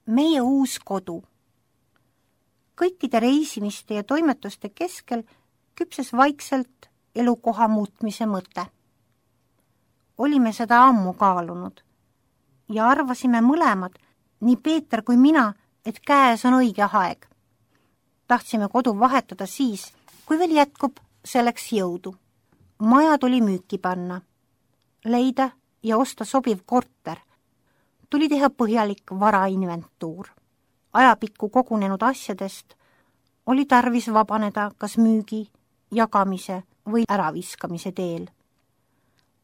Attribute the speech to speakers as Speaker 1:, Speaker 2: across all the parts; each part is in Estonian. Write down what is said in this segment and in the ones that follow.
Speaker 1: meie uus kodu. Kõikide reisimiste ja toimetuste keskel küpses vaikselt elukoha muutmise mõte. Olime seda ammu kaalunud ja arvasime mõlemad, nii Peeter kui mina, et käes on õige aeg. Tahtsime kodu vahetada siis, kui veel jätkub selleks jõudu. Maja tuli müüki panna, leida ja osta sobiv korter. Tuli teha põhjalik varainventuur. Ajapikku kogunenud asjadest oli tarvis vabaneda kas müügi, jagamise või äraviskamise teel.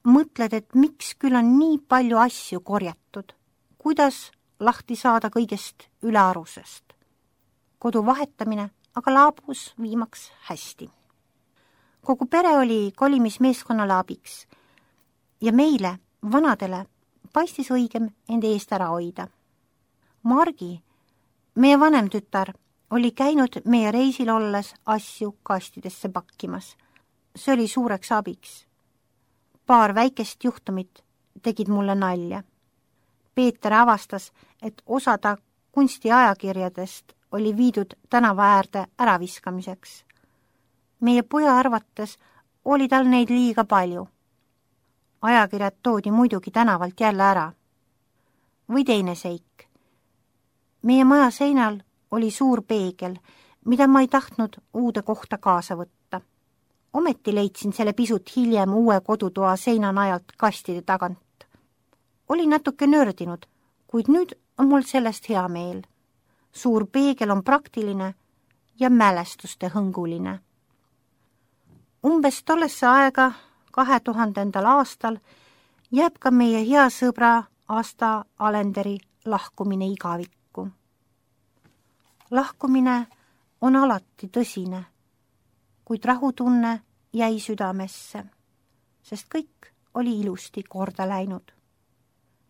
Speaker 1: Mõtled, et miks küll on nii palju asju korjatud, kuidas lahti saada kõigest ülearusest. Kodu vahetamine aga laabus viimaks hästi. Kogu pere oli kolimismeeskonnale abiks ja meile, vanadele, paistis õigem enda eest ära hoida. Margi, meie vanem tütar, oli käinud meie reisil olles asju kastidesse pakkimas. See oli suureks abiks. Paar väikest juhtumit tegid mulle nalja. Peeter avastas, et osada kunstiajakirjadest oli viidud tänava äärde äraviskamiseks. Meie poja arvates oli tal neid liiga palju. Ajakirjad toodi muidugi tänavalt jälle ära. Või teine seik. Meie maja seinal oli suur peegel, mida ma ei tahtnud uude kohta kaasa võtta. Ometi leidsin selle pisut hiljem uue kodutoa seinanajalt kastide tagant. Oli natuke nördinud, kuid nüüd on mul sellest hea meel. Suur peegel on praktiline ja mälestuste hõnguline. Umbes tollesse aega 2000. aastal jääb ka meie hea sõbra Asta Alenderi lahkumine igavikku. Lahkumine on alati tõsine, kuid rahutunne jäi südamesse, sest kõik oli ilusti korda läinud.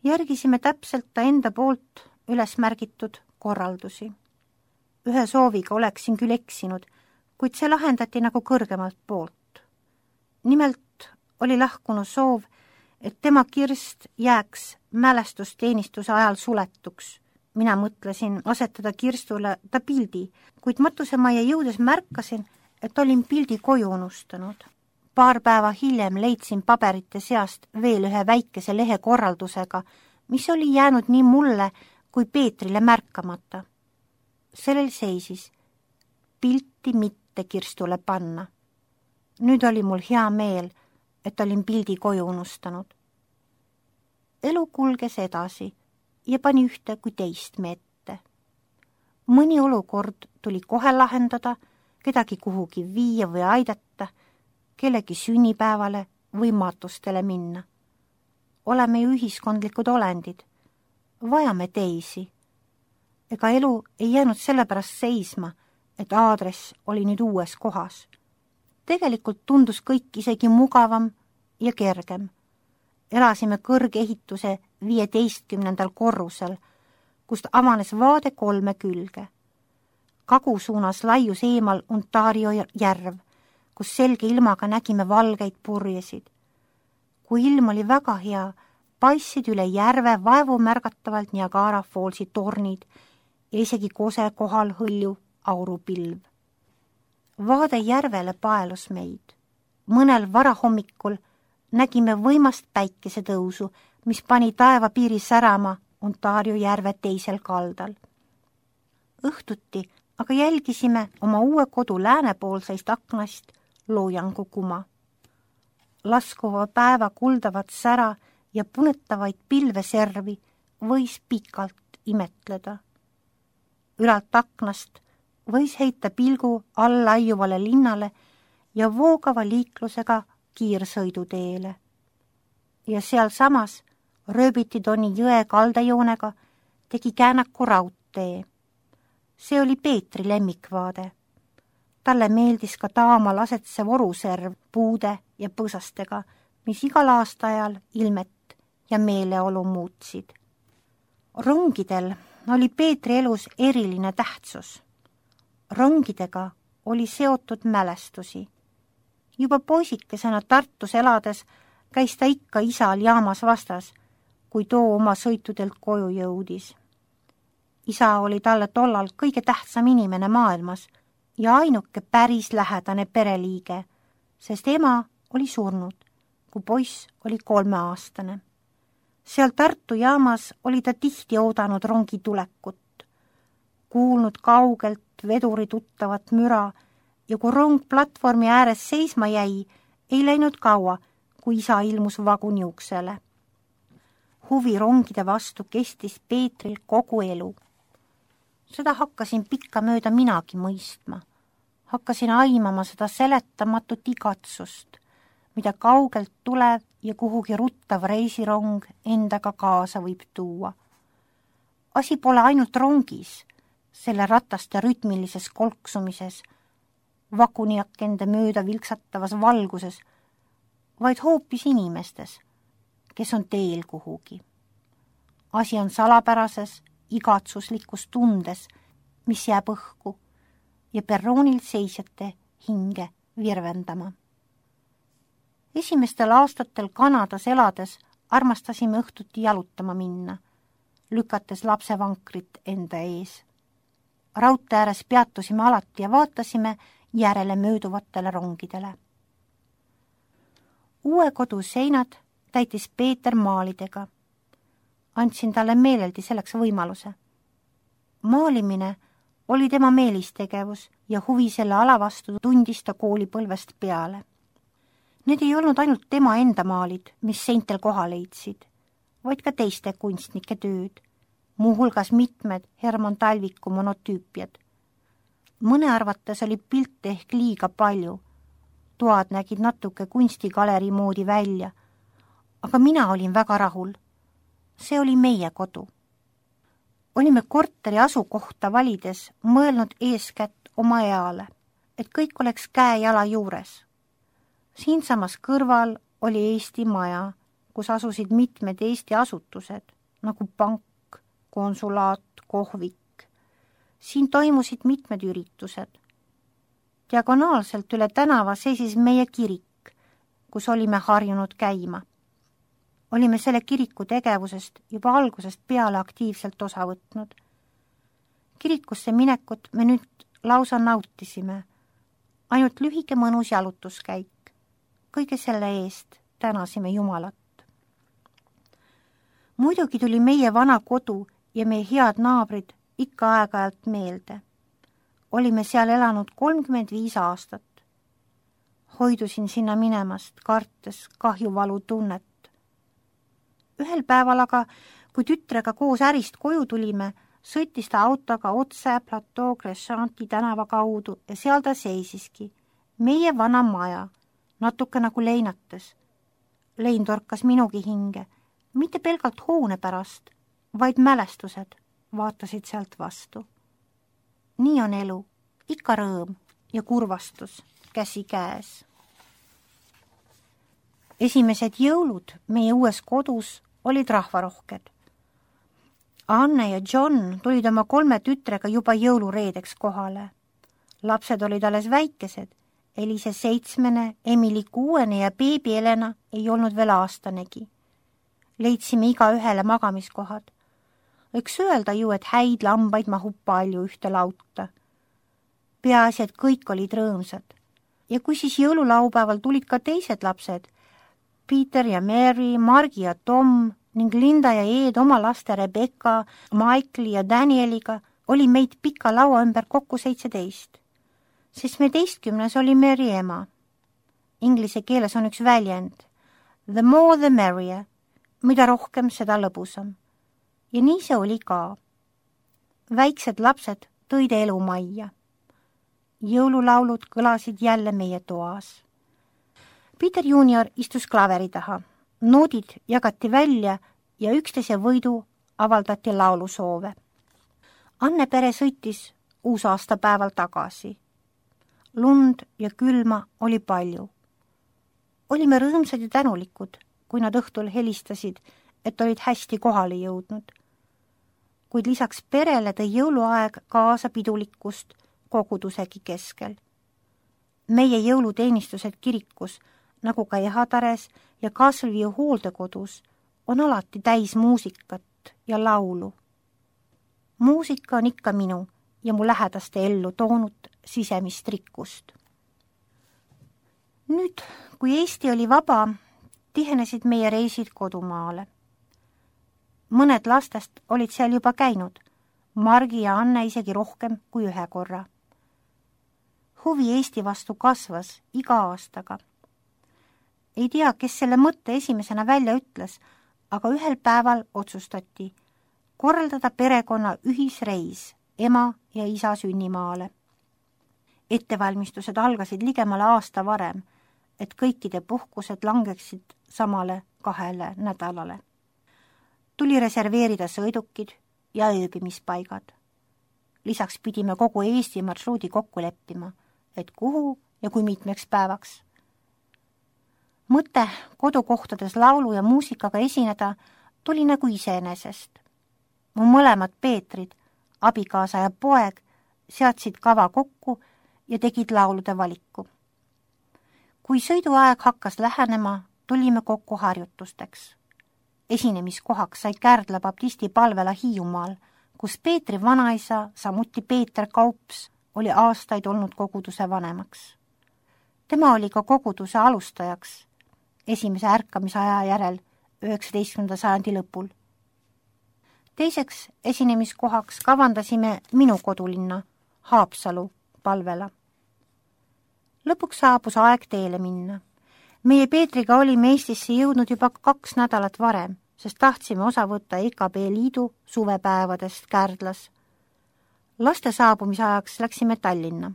Speaker 1: Järgisime täpselt ta enda poolt üles märgitud korraldusi. Ühe sooviga oleksin küll eksinud, kuid see lahendati nagu kõrgemalt poolt. Nimelt oli lahkunu soov, et tema kirst jääks mälestusteenistuse ajal suletuks. Mina mõtlesin asetada kirstule ta pildi, kuid matusemajja jõudes märkasin, et olin pildi koju unustanud. Paar päeva hiljem leidsin paberite seast veel ühe väikese lehe korraldusega, mis oli jäänud nii mulle kui Peetrile märkamata. Sellel seisis pilti mitte kirstule panna. Nüüd oli mul hea meel, et olin pildi koju unustanud. Elu kulges edasi ja pani ühte kui teist meette. Mõni olukord tuli kohe lahendada, kedagi kuhugi viia või aidata, kellegi sünnipäevale või matustele minna. Oleme ju ühiskondlikud olendid. Vajame teisi. Ega elu ei jäänud sellepärast seisma, et aadress oli nüüd uues kohas. Tegelikult tundus kõik isegi mugavam ja kergem. Elasime kõrgehituse 15. korrusel, kust avanes vaade 3 külge. Kagu suunas laius eemal Ontario järv, kus selge ilmaga nägime valgeid purjesid. Kui ilm oli väga hea, paissid üle järve vaevu märgatavalt Niagara Fallsi tornid ja isegi kose kohal hõlju aurupilv. Vaade järvele paelus meid. Mõnel varahommikul nägime võimast päikesetõusu, mis pani taevapiiri särama Ontario järve teisel kaldal. Õhtuti aga jälgisime oma uue kodu läänepoolseist aknast loojangu kuma. Laskuva päeva kuldavat sära ja punetavaid pilveservi võis pikalt imetleda. Ülalt aknast võis heita pilgu allaiuvale linnale ja voogava liiklusega kiirsõiduteele. Ja sealsamas Rööbitidoni jõe kaldajoonega tegi käänaku raudtee. See oli Peetri lemmikvaade. Talle meeldis ka taamal asetsev oruserv puude ja põsastega, mis igal aastaajal ilmet ja meeleolu muutsid. Rongidel oli Peetri elus eriline tähtsus. Rongidega oli seotud mälestusi. Juba poisikesena Tartus elades käis ta ikka isal jaamas vastas, kui too oma sõitudelt koju jõudis. Isa oli talle tollal kõige tähtsam inimene maailmas ja ainuke päris lähedane pereliige, sest ema oli surnud, kui poiss oli 3-aastane. Seal Tartu jaamas oli ta tihti oodanud rongi tulekut, kuulnud kaugelt veduri tuttavat müra ja kui rong platvormi ääres seisma jäi, ei läinud kaua, kui isa ilmus vaguni uksele. Huvi rongide vastu kestis Peetril kogu elu. Seda hakkasin pikkamööda minagi mõistma. Hakkasin aimama seda seletamatut igatsust, mida kaugelt tulev ja kuhugi ruttav reisirong endaga kaasa võib tuua. Asi pole ainult rongis, selle rataste rütmilises kolksumises, vaguniakende mööda vilksatavas valguses, vaid hoopis inimestes, kes on teel kuhugi. Asi on salapärases, igatsuslikus tundes, mis jääb õhku ja perroonil seisjate hinge virvendama. Esimestel aastatel Kanadas elades armastasime õhtuti jalutama minna, lükates lapsevankrit enda ees. Raudtee ääres peatusime alati ja vaatasime järele mööduvatele rongidele. Uue kodu seinad täitis Peeter maalidega. Andsin talle meeleldi selleks võimaluse. Maalimine oli tema meelistegevus ja huvi selle ala vastu tundis ta koolipõlvest peale. Need ei olnud ainult tema enda maalid, mis seintel koha leidsid, vaid ka teiste kunstnike tööd, muuhulgas mitmed Herman Talviku monotüüpiad. Mõne arvates oli pilte ehk liiga palju. Toad nägid natuke kunstigalerii moodi välja, aga mina olin väga rahul. See oli meie kodu. Olime korteri asukohta valides mõelnud eeskätt oma eale, et kõik oleks käe-jala juures. Siinsamas kõrval oli Eesti maja, kus asusid mitmed Eesti asutused, nagu pank, konsulaat, kohvik. Siin toimusid mitmed üritused. Diagonaalselt üle tänava seisis meie kirik, kus olime harjunud käima. Olime selle kiriku tegevusest juba algusest peale aktiivselt osa võtnud. Kirikusse minekut me nüüd lausa nautisime. Ainult lühike mõnus jalutuskäik. Kõige selle eest tänasime Jumalat. Muidugi tuli meie vana kodu ja meie head naabrid ikka aeg-ajalt meelde. Olime seal elanud 35 aastat. Hoidusin sinna minemast, kartes kahjuvalu tunnet. Ühel päeval aga, kui tütrega koos ärist koju tulime, sõitis ta autoga otse Plateau Crescenti tänava kaudu ja seal ta seisiski. Meie vana maja, natuke nagu leinates. Lein torkas minugi hinge, mitte pelgalt hoone pärast, vaid mälestused vaatasid sealt vastu. Nii on elu, ikka rõõm ja kurvastus käsi käes. Esimesed jõulud meie uues kodus olid rahvarohked. Anne ja John tulid oma 3 tütrega juba jõulureedeks kohale. Lapsed olid alles väikesed, Elise 7, Emily 6 ja beebi Elena ei olnud veel aastanegi. Leidsime iga ühele magamiskohad. Võiks öelda ju, et häid lambaid mahub palju ühte lauta. Peaasi, et kõik olid rõõmsad. Ja kui siis jõululaupäeval tulid ka teised lapsed, Peter ja Mary, Margi ja Tom ning Linda ja Ed oma laste Rebecca, Michael ja Danieliga oli meid pika laua ümber kokku 17. 17. oli Mary ema. Inglise keeles on üks väljend. The more the merrier. Mida rohkem, seda lõbusam. Ja nii see oli ka. Väiksed lapsed tõid elu majja. Jõululaulud kõlasid jälle meie toas. Peter Junior istus klaveri taha. Noodid jagati välja ja üksteise võidu avaldati laulusoove. Anne pere sõitis uusaastapäeval tagasi. Lund ja külma oli palju. Olime rõõmsad ja tänulikud, kui nad õhtul helistasid, et olid hästi kohale jõudnud. Kuid lisaks perele tõi jõuluaeg kaasa pidulikkust kogudusegi keskel. Meie jõuluteenistused kirikus, nagu ka Ehatares ja Castleview hooldekodus, on alati täis muusikat ja laulu. muusika on ikka minu ja mu lähedaste ellu toonud sisemist rikkust. Nüüd, kui Eesti oli vaba, tihenesid meie reisid kodumaale. Mõned lastest olid seal juba käinud, Margi ja Anne isegi rohkem kui ühe korra. Huvi Eesti vastu kasvas iga aastaga. Ei tea, kes selle mõtte esimesena välja ütles, aga ühel päeval otsustati korraldada perekonna ühisreis ema ja isa sünnimaale. Ettevalmistused algasid ligemale aasta varem, et kõikide puhkused langeksid samale 2 nädalale. Tuli reserveerida sõidukid ja ööbimispaigad. Lisaks pidime kogu Eesti marsruudi kokku leppima, et kuhu ja kui mitmeks päevaks. Mõte kodukohtades laulu ja muusikaga esineda tuli nagu iseenesest. Mu mõlemad Peetrid, abikaasa ja poeg, seadsid kava kokku ja tegid laulude valiku. Kui sõiduaeg hakkas lähenema, tulime kokku harjutusteks. Esinemiskohaks sai Kärdla baptisti palvela Hiiumaal, kus Peetri vanaisa, samuti Peeter Kaups, oli aastaid olnud koguduse vanemaks. Tema oli ka koguduse alustajaks esimese ärkamisaja järel 19. sajandi lõpul. Teiseks esinemiskohaks kavandasime minu kodulinna, Haapsalu palvela. Lõpuks saabus aeg teele minna. Meie Peetriga olime Eestisse jõudnud juba 2 nädalat varem, sest tahtsime osa võtta EKB liidu suvepäevadest Kärdlas. Laste saabumisajaks läksime Tallinna.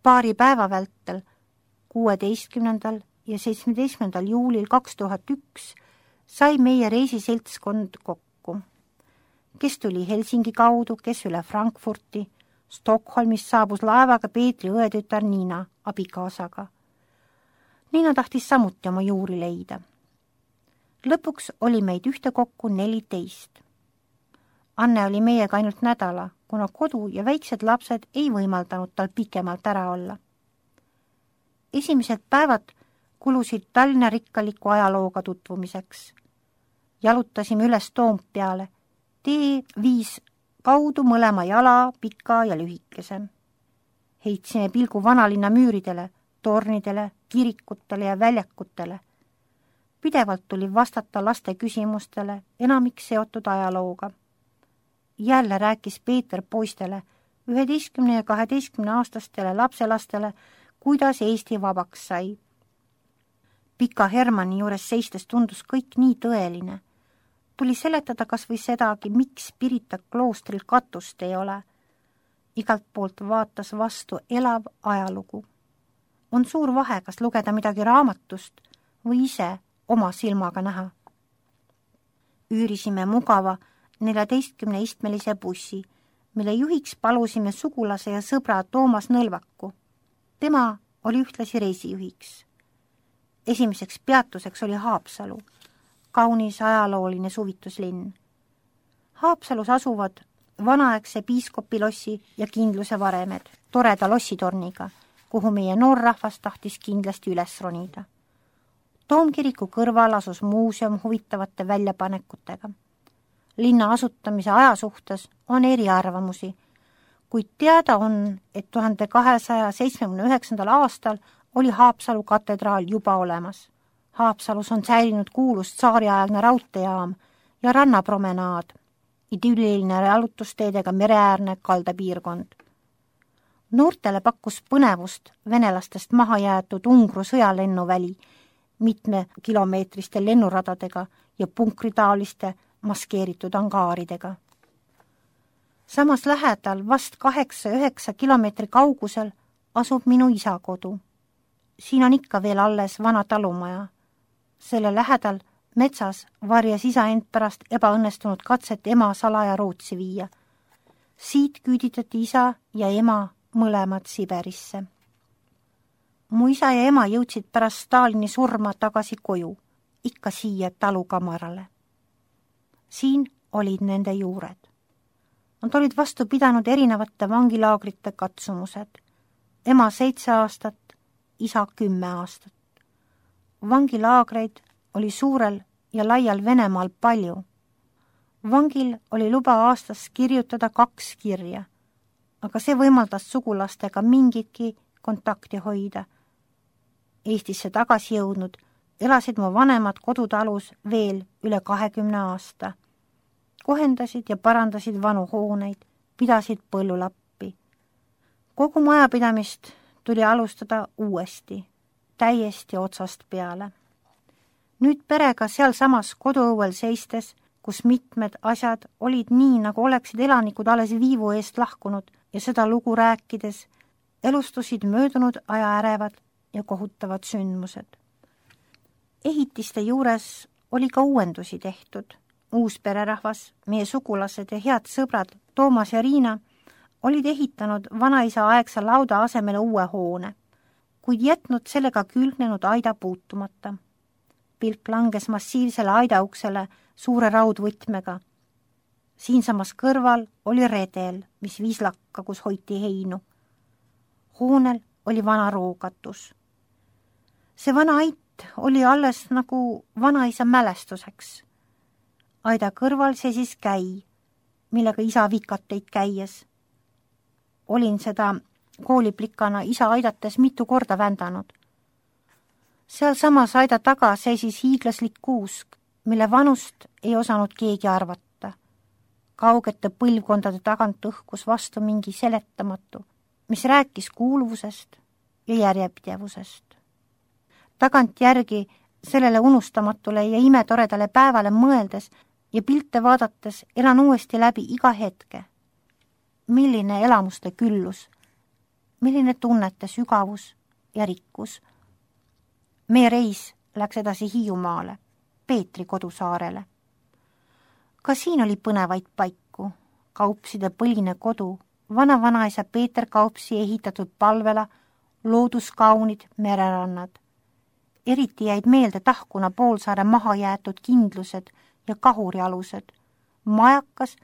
Speaker 1: Paari päeva vältel, 16. ja 17. juulil 2001 sai meie reisiseltskond kokku. Kes tuli Helsingi kaudu, kes üle Frankfurti. Stockholmist saabus laevaga Peetri õetütar Niina abikaasaga. Niina tahtis samuti oma juuri leida. Lõpuks oli meid ühtekokku 14. Anne oli meiega ainult nädala, kuna kodu ja väiksed lapsed ei võimaldanud tal pikemalt ära olla. Esimesed päevad kulusid Tallinna rikkaliku ajalooga tutvumiseks. Jalutasime üles Toompeale, tee viis kaudu mõlema jala, pika ja lühikese. Heitsime pilgu vanalinna müüridele, tornidele, kirikutele ja väljakutele. Pidevalt tuli vastata laste küsimustele, enamik seotud ajalooga. Jälle rääkis Peeter poistele, 11 ja 12 aastastele lapselastele, kuidas Eesti vabaks sai. Pika Hermanni juures seistes tundus kõik nii tõeline. Tuli seletada kas või sedagi, miks Pirita kloostril katust ei ole. Igalt poolt vaatas vastu elav ajalugu. On suur vahe, kas lugeda midagi raamatust või ise oma silmaga näha. Üürisime mugava 14-istmelise bussi, mille juhiks palusime sugulase ja sõbra Toomas Nõlvaku. Tema oli ühtlasi reisijuhiks. Esimeseks peatuseks oli Haapsalu, kaunis ajalooline suvituslinn. Haapsalus asuvad vanaaegse piiskopilossi ja kindluse varemed, toreda lossitorniga, kuhu meie noor rahvas tahtis kindlasti üles ronida. Toomkiriku kõrval asus muuseum huvitavate väljapanekutega. Linna asutamise aja suhtes on eriarvamusi, kuid teada on, et 1279. aastal oli Haapsalu katedraal juba olemas. Haapsalus on säilinud kuulus tsaariaegne raudteejaam ja rannapromenaad, idülliline jalutusteedega mereäärne kaldapiirkond. Noortele pakkus põnevust venelastest maha jäetud Ungru sõjalennuväli mitmekilomeetriste lennuradadega ja punkritaaliste maskeeritud angaaridega. Samas lähedal vast 8-9 kilomeetri kaugusel asub minu isa kodu. Siin on ikka veel alles vana talumaja. Selle lähedal metsas varjas isa end pärast ebaõnnestunud katset ema salaja Rootsi viia. Siit küüditati isa ja ema mõlemad Siberisse. Mu isa ja ema jõudsid pärast Stalini surma tagasi koju, ikka siia talukamarale. Siin olid nende juured. Nad olid vastu pidanud erinevate vangilaagrite katsumused. Ema 7 aastat, isa 10 aastat. Vangilaagreid oli suurel ja laial Venemaal palju. Vangil oli luba aastas kirjutada 2 kirja, aga see võimaldas sugulastega mingitki kontakti hoida. Eestisse tagasi jõudnud elasid mu vanemad kodutalus veel üle 20 aasta. Kohendasid ja parandasid vanu hooneid, pidasid põllulappi. Kogu majapidamist tuli alustada uuesti, täiesti otsast peale. Nüüd perega sealsamas koduõuel seistes, kus mitmed asjad olid nii, nagu oleksid elanikud alles viivu eest lahkunud ja seda lugu rääkides, elustusid möödunud aja ärevad ja kohutavad sündmused. Ehitiste juures oli ka uuendusi tehtud. Uus pererahvas, meie sugulased ja head sõbrad Toomas ja Riina olid ehitanud vanaisa aegsa lauda asemele uue hoone, kuid jätnud sellega külgnenud aida puutumata. Pilk langes massiivsele aidauksele suure raudvõtmega. Siinsamas kõrval oli redel, mis viis lakka, kus hoiti heinu. Hoonel oli vana roogatus. See vana ait oli alles nagu vanaisa mälestuseks. Aida kõrval seisis käi, millega isa vikateid käies. Olin seda kooliplikana isa aidates mitu korda vändanud. Seal samas aida taga seisis hiiglaslik kuusk, mille vanust ei osanud keegi arvata. Kaugete põlvkondade tagant õhkus vastu mingi seletamatu, mis rääkis kuuluvusest ja järjepidevusest. Tagantjärgi sellele unustamatule ja imetoredale päevale mõeldes ja pilte vaadates elan uuesti läbi iga hetke. Milline elamuste küllus, milline tunnete sügavus ja rikkus. Meie reis läks edasi Hiiumaale, Peetri kodusaarele. Ka siin oli põnevaid paiku, Kaupside põline kodu, vana-vanaisa Peeter Kaupsi ehitatud palvela, looduskaunid mererannad. Eriti jäid meelde Tahkuna poolsaare maha jäetud kindlused ja kahurialused, majakas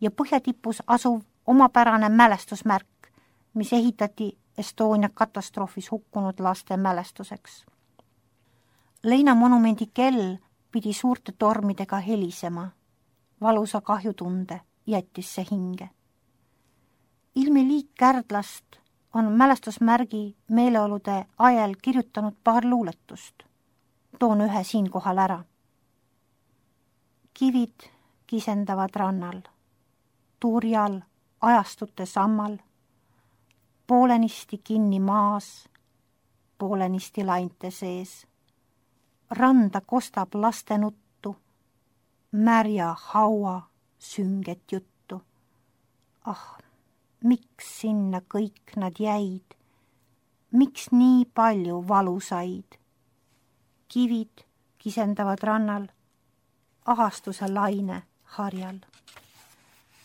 Speaker 1: ja põhjatipus asuv omapärane mälestusmärk, mis ehitati Estonia katastroofis hukkunud laste mälestuseks. Leina monumendi kell pidi suurte tormidega helisema. Valusa kahjutunde jättis see hinge. Ilmi Liik Kärdlast on mälestusmärgi meeleolude ajal kirjutanud paar luuletust. Toon ühe siinkohal ära. Kivid kisendavad rannal, turjal ajastute sammal, poolenisti kinni maas, poolenisti lainte sees. Randa kostab laste nuttu, märja haua sünget juttu. Ah, miks sinna kõik nad jäid? Miks nii palju valu said? Kivid kisendavad rannal, ahastuse laine harjal.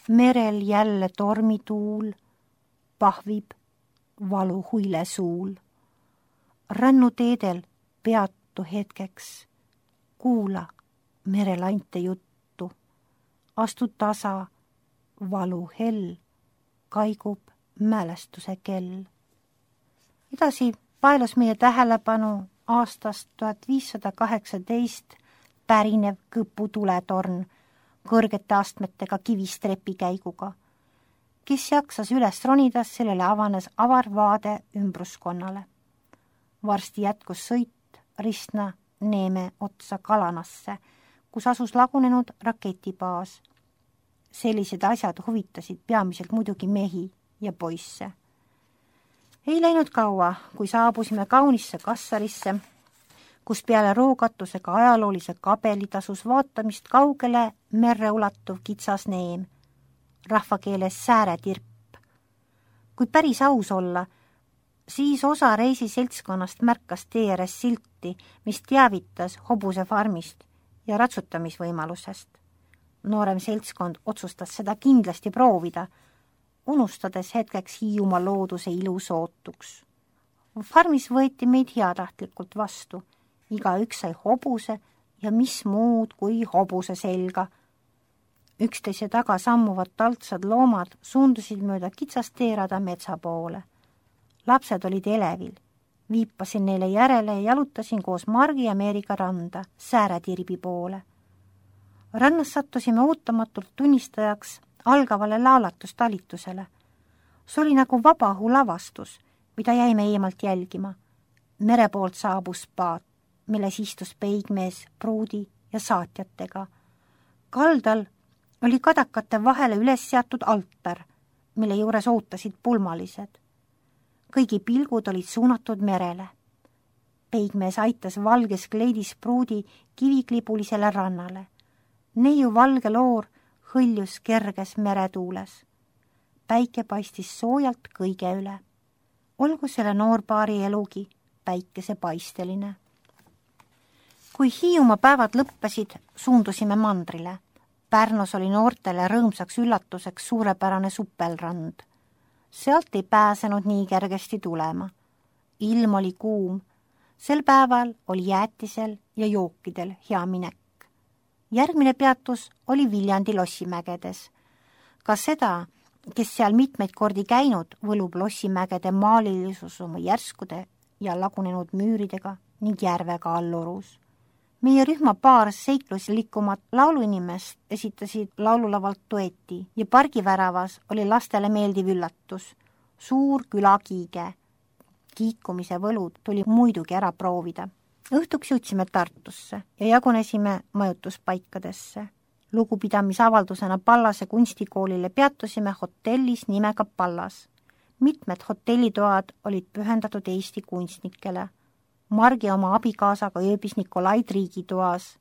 Speaker 1: Merel jälle tormituul, pahvib valu huile suul. Rännuteedel peatu hetkeks, kuula merelainte juttu. Astu tasa, valu hell, kaigub mälestuse kell. Edasi paelus meie tähelepanu aastast 1518 pärinev Kõpu tuletorn kõrgete astmetega kivistrepikäiguga. Kes jaksas üles ronida, sellele avanes avar vaade ümbruskonnale. Varsti jätkus sõit Ristna Neeme otsa Kalanasse, kus asus lagunenud raketibaas. Sellised asjad huvitasid peamiselt muidugi mehi ja poisse. Ei läinud kaua, kui saabusime kaunisse Kassarisse, kus peale rookatusega ajaloolise kabeli tasus vaatamist kaugele merre ulatuv kitsas neem, rahvakeeles sääretirp. Kui päris aus olla, siis osa reisiseltskonnast märkas tee ääres silti, mis teavitas hobuse farmist ja ratsutamisvõimalusest. Noorem seltskond otsustas seda kindlasti proovida, unustades hetkeks Hiiumaa looduse ilu sootuks. Farmis võeti meid heatahtlikult vastu, igaüks sai hobuse ja mis muud kui hobuse selga. Üksteise taga sammuvad taltsad loomad suundusid mööda kitsast teerada metsa poole. Lapsed olid elevil, viipasin neile järele ja jalutasin koos Margi ja Meeriga randa sääretirbi poole. Rannas sattusime ootamatult tunnistajaks algavale laulatustalitusele. See oli nagu vabaõhu lavastus, mida jäime eemalt jälgima. Mere poolt saabus paat, milles istus peigmees pruudi ja saatjatega. Kaldal oli kadakate vahele üles seatud altar, mille juures ootasid pulmalised. Kõigi pilgud olid suunatud merele. Peigmees aitas valges kleidis pruudi kiviklibulisele rannale. Neiu valge loor hõljus kerges meretuules. Päike paistis soojalt kõige üle. Olgu selle noorpaari elugi päikesepaisteline. Kui Hiiumaa päevad lõppesid, suundusime mandrile. Pärnus oli noortele rõõmsaks üllatuseks suurepärane suppelrand. Sealt ei pääsenud nii kergesti tulema. Ilm oli kuum. Sel päeval oli jäätisel ja jookidel hea minek. Järgmine peatus oli Viljandi Lossimägedes. Ka seda, kes seal mitmeid kordi käinud, võlub Lossimägede maalilisus oma järskude ja lagunenud müüridega ning järvega allurus. Meie rühma paar seikluslikumat lauluinimest esitasid laululavalt dueti ja pargiväravas oli lastele meeldiv üllatus. Suur külakiige. Kiikumise võlud tuli muidugi ära proovida. Õhtuks jõudsime Tartusse ja jagunesime majutuspaikadesse. Lugupidamisavaldusena Pallase kunstikoolile peatusime hotellis nimega Pallas. Mitmed hotellitoad olid pühendatud Eesti kunstnikele. Margi oma abikaasaga ööbis Nikolai riigitoas.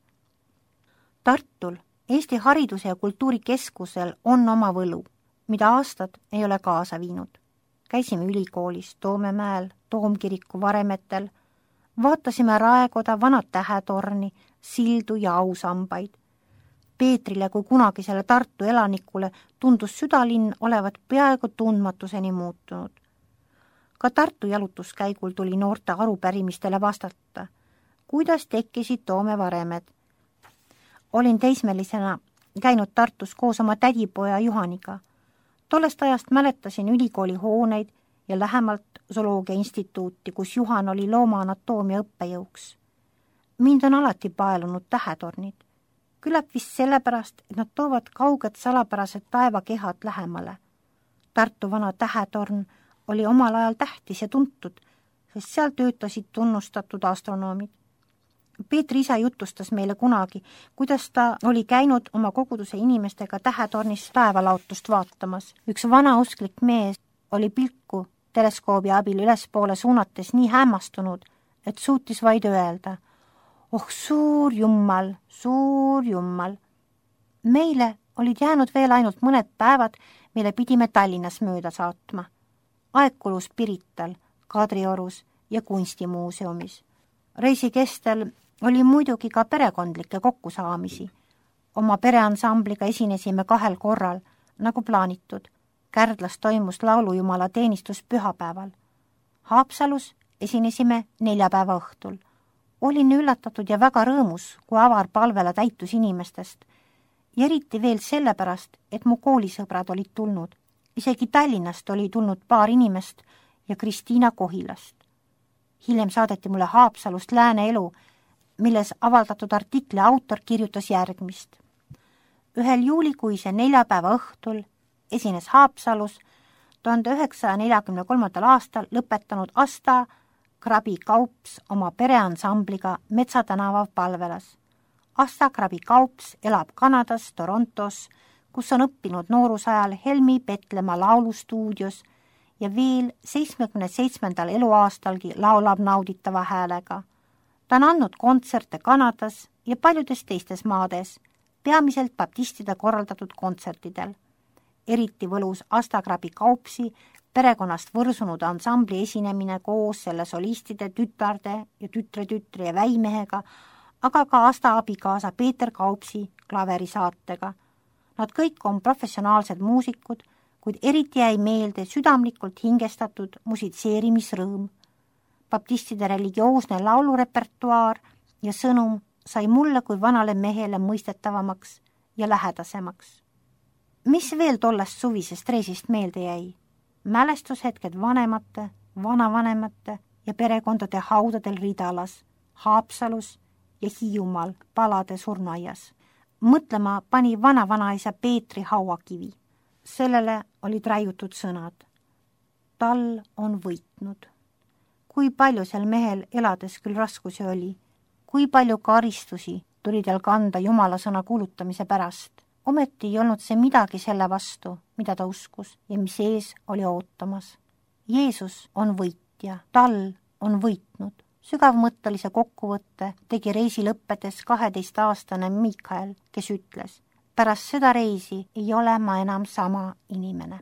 Speaker 1: Tartul, Eesti Hariduse ja Kultuurikeskusel on oma võlu, mida aastad ei ole kaasa viinud. Käisime ülikoolis Toomemäel, Toomkiriku varemetel, vaatasime Raekoda, Vana Tähetorni, sildu ja ausambaid. Peetrile kui kunagisele Tartu elanikule tundus südalinn olevat peaaegu tundmatuseni muutunud. Ka Tartu jalutuskäigul tuli noorte arupärimistele vastata. Kuidas tekkisid Toome varemed? Olin teismelisena käinud Tartus koos oma tädipoja Juhaniga. Tollest ajast mäletasin ülikooli hooneid ja lähemalt Zooloogia instituuti, kus Juhan oli loomaanatoomia õppejõuks. Mind on alati paelunud tähetornid. Küllap vist sellepärast, et nad toovad kauged salapärased taevakehad lähemale. Tartu vana tähetorn oli omal ajal tähtis ja tuntud, sest seal töötasid tunnustatud astronoomid. Peetri isa jutustas meile kunagi, kuidas ta oli käinud oma koguduse inimestega tähetornis taevalaotust vaatamas. Üks vanausklik mees oli pilku teleskoobi abil ülespoole suunates nii hämmastunud, et suutis vaid öelda: "Oh, suur jummal, suur jummal." Meile olid jäänud veel ainult mõned päevad, mille pidime Tallinnas mööda saatma. Aeg kulus Pirital, Kadriorus ja kunstimuuseumis. Reisi kestel oli muidugi ka perekondlikke kokkusaamisi. Oma pereansambliga esinesime 2 korral, nagu plaanitud. Kärdlas toimus laulujumala teenistus pühapäeval. Haapsalus esinesime 4 päeva õhtul. Olin üllatatud ja väga rõõmus, kui avar palvela täitus inimestest. Ja eriti veel sellepärast, et mu koolisõbrad olid tulnud. Isegi Tallinnast oli tulnud paar inimest ja Kristiina Kohilast. Hiljem saadeti mulle Haapsalust Lääne elu, milles avaldatud artikli autor kirjutas järgmist. 1. juulikuise 4 päeva õhtul esines Haapsalus 1943. aastal lõpetanud Asta Krabi Kaups oma pereansambliga Metsatänava palvelas. Asta Krabi Kaups elab Kanadas, Torontos, kus on õppinud noorusajal Helmi Petlemma laulustuudios ja veel 77. eluaastalgi laulab nauditava häälega. Ta on andnud kontserte Kanadas ja paljudes teistes maades, peamiselt baptistide korraldatud kontsertidel. Eriti võlus Asta Krabi Kaupsi perekonnast võrsunud ansambli esinemine koos selle solistide, tütarde ja tütre ja väimehega, aga ka Asta abikaasa Peeter Kaupsi klaverisaatega. Nad kõik on professionaalsed muusikud, kuid eriti jäi meelde südamlikult hingestatud musitseerimisrõõm. Baptistide religioosne laulurepertuaar ja sõnum sai mulle kui vanale mehele mõistetavamaks ja lähedasemaks. Mis veel tollest suvisest reisist meelde jäi? Mälestushetked vanemate, vanavanemate ja perekondade haudadel Ridalas, Haapsalus ja Hiiumaal Palade surnuaias. mõtlema pani vana-vanaisa Peetri hauakivi. Sellele olid raiutud sõnad. Tal on võitnud. Kui palju seal mehel elades küll raskusi oli, kui palju karistusi tuli tal kanda Jumala sõna kuulutamise pärast. Ometi ei olnud see midagi selle vastu, mida ta uskus ja mis ees oli ootamas. Jeesus on võitja, tal on võitnud. Sügavmõttelise kokkuvõtte tegi reisi lõppedes 12-aastane Mikael, kes ütles, pärast seda reisi ei ole ma enam sama inimene.